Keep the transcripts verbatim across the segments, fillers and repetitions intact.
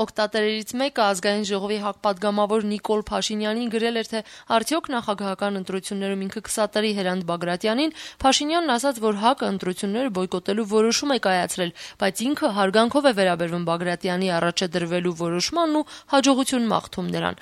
Օգտատերերից մեկը ազգային ժողովի հակպատգամավոր Նիկոլ Փաշինյանին գրել էր, թե արդյոք նախագահական ընտրություններում ինքը կսատարի Հրանտ Բագրատյանին, Փաշինյանն ասաց, որ ՀԱԿ-ը ընտրությունները բոյկոտելու որոշում է կայացրել, բայց ինքը հարգանքով է վերաբերվում Բագրատյանի առաջ է դրվելու որոշմանն ու հաջողություն մաղթում նրան։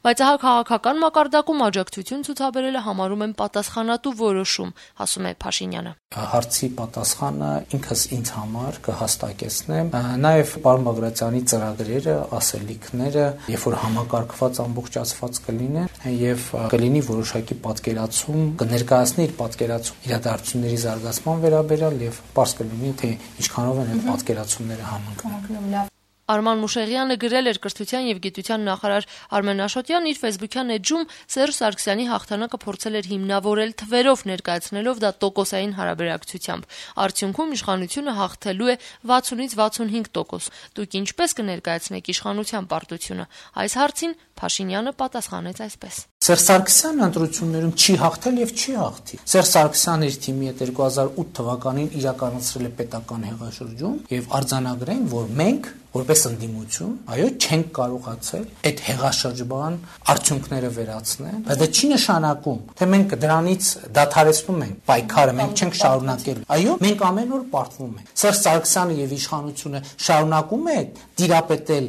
Բայց ահա քաղաքական մակարդակում աջակցություն ցուցաբերելը համարում են պատասխանատու որոշում, ասում է Փաշինյանը։ Հարցի պատասխանը ինքս ինձ համար կհստակեցնեմ, նաև պարոն Բագրատյանի ծրագրերը, ասելիքները, երբ որ համակարգված ամբողջացված կլինեն եւ կլինի որոշակի պատկերացում, կներկայացնի իր պատկերացում իրադարձությունների զարգացման վերաբերյալ եւ պարզ կլինի, թե ինչքանով են այդ պատկերացումները համընկնում։ Արման Մուշեղյանը գրել էր կրթության եւ գիտության նախարար Արմեն Աշոտյանն իր ֆեյսբուքյան էջում Սերժ Սարգսյանի հաղթանակը փորձել էր հիմնավորել թվերով, ներկայացնելով դա տոկոսային հարաբերակցությամբ։ Արդյունքում իշխանությունը հաղթելու է վաթսունից վաթսունհինգ տոկոս։ Դուք ինչպես կներկայացնեք իշխանության պարտությունը։ Այս հարցին Փաշինյանը պատասխանեց այսպես. Սերժ Սարգսյանն ընտրություններում չի հաղթել եւ չի հաղթի։ Սերժ Սարգսյանը իր թիմի հետ երկու հազար ութ թվականին իրականացրել է պետական հեղաշրջում եւ արձանագրեն, որ մենք որպես ընդդիմություն, այո, չենք կարողացել այդ հեղաշրջման արդյունքները վերացնել, բայց դա չի նշանակում, թե մենք դրանից դադարեցնում ենք պայքարը, մենք չենք շարունակել։ Այո, մենք ամեն օր պարտվում ենք։ Սերժ Սարգսյանը եւ իշխանությունը շարունակում է դիրապետել,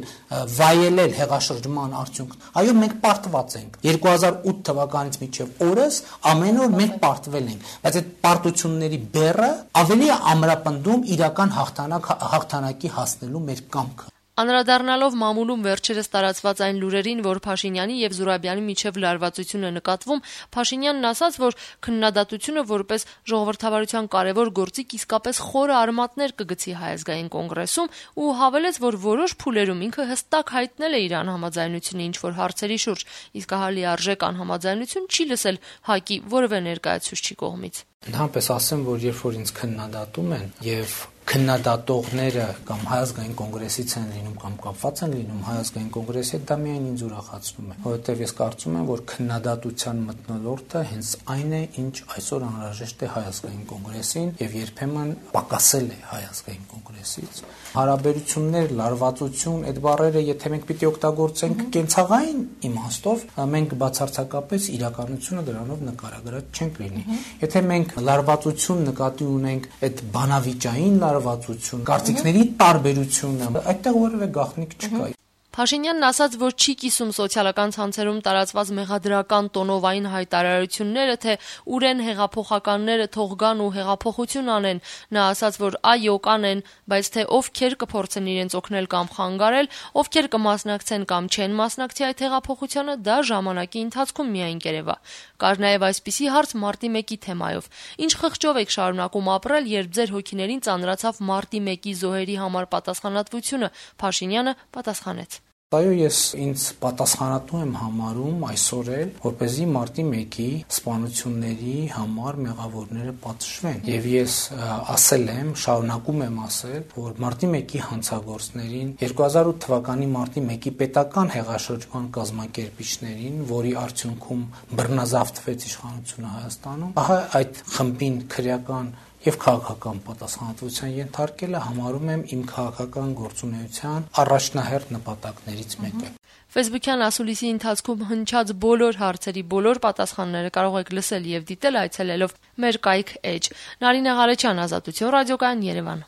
վայելել հեղաշրջման արդյունքն։ Այո, մենք պարտված ենք։ երկու հազար ութ թվականից մինչև օրս ամեն օր մենք պարտվել ենք, բայց այդ պարտությունների բեռը ավելի է ամրապնդում իրական հաղթանակ հաղթանակի հասնելու մեր կամքը։ Անդրադառնալով մամուլում վերջերս տարածված այն լուրերին, որ Փաշինյանի եւ Զուրաբյանի միջև լարվածություն է նկատվում, Փաշինյանն ասաց, որ քննադատությունը որպես ժողովրդավարության կարևոր գործիք իսկապես խորը արմատներ կգցի Հայ ազգային կոնգրեսում ու հավելեց, որ որոշ փուլերում ինքը հստակ հայտնել է իր անհամաձայնությունը ինչ-որ հարցերի շուրջ, իսկ ահա լիարժեք անհամաձայնություն չի լսել ՀԱԿ-ի որևէ ներկայացուցչի կողմից։ Ընդհանրապես ասեմ, որ երբ որ ինձ քննադատում են եւ քննադատողները կամ Հայ ազգային կոնգրեսից են լինում կամ կապված են լինում Հայ ազգային կոնգրեսի հետ, դա միայն ինձ ուրախացնում է, որովհետև ես կարծում եմ, որ քննադատության մթնոլորտը հենց այն է, ինչ այսօր անհրաժեշտ է Հայ ազգային կոնգրեսին եւ երբեմն պակասել է Հայ ազգային կոնգրեսից։ Հարաբերություններ, լարվածություն, այդ բառերը, եթե մենք պիտի օգտագործենք կենցաղային իմաստով, մենք բացարձակապես իրականությունը դրանով նկարագրած չենք լինի։ Եթե մենք լարվածություն նկատի ունենք այդ բանավիճային լարվածություն, կարծիքների տարբերությունը, այդտեղ որևէ գաղտնիք չկա։ Փաշինյանն ասաց, որ չի կիսում սոցիալական ցանցերում տարածված մեղադրական տոնովային հայտարարությունները, թե ուրեն հեղափոխականները թող գան ու հեղափոխություն անեն։ Նա ասաց, որ այո, կանեն, բայց թե ովքեր կփորձեն իրենց օգնել կամ խանգարել, ովքեր կմասնակցեն կամ չեն մասնակցի այդ հեղափոխությանը, դա ժամանակի ընթացքում միայն կերևա։ Կար նաև այսպիսի հարց մարտի մեկի թեմայով. Ինչ խղճով եք շարունակում ապրել, երբ ձեր հոգիներին ծանրացավ մարտի մեկի զոհերի համար պատասխանատվությունը։ Փաշինյանը պատասխանեց. Այո, ես ինձ պատասխանատու եմ համարում այսօր էլ, որպեսզի մարտի մեկի սպանությունների համար մեղավորները պատժվեն։ Եվ ես ասել եմ, շարունակում եմ ասել, որ մարտի մեկի հանցագործներին, երկու հազար ութ թվականի մարտի մեկի պետական հեղաշրջման կազմակերպիչներին, որի արդյունքում բռնազավթվեց իշխանությունը Հայաստանում, ահա այդ խմբին քրեական եւ քաղաքական պատասխանատվության ենթարկելը համարում եմ իմ քաղաքական գործունեության առաջնահերթ նպատակներից մեկը։ Ֆեյսբուքյան ասուլիսի ընթացքում հնչած բոլոր հարցերի բոլոր պատասխանները կարող եք լսել եւ դիտել այցելելով մեր կայք էջ։ Նարինե Ղարեչյան, Ազատություն ռադիոկայան, Երևան։